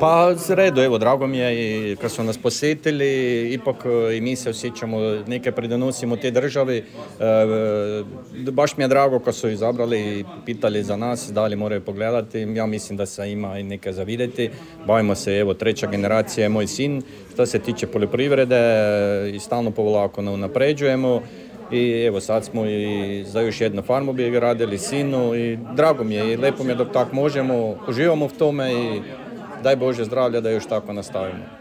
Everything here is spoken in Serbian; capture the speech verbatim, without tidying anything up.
Pa z redu, evo, drago mi je i kad su nas posjetili, ipak i mi se osjećamo, neke pridonosimo te državi. E, baš mi je drago kad su izabrali i pitali za nas, da li moraju pogledati. Ja mislim da se ima i neke za vidjeti. Bavimo se, evo, treća generacija je moj sin. Što se tiče poljoprivrede, i stalno polako napređujemo. I evo, sad smo i za još jednu farmu bi radili sinu i drago mi je i lepo mi je dok tako možemo, uživamo u tome i daj Bože zdravlja da još tako nastavimo.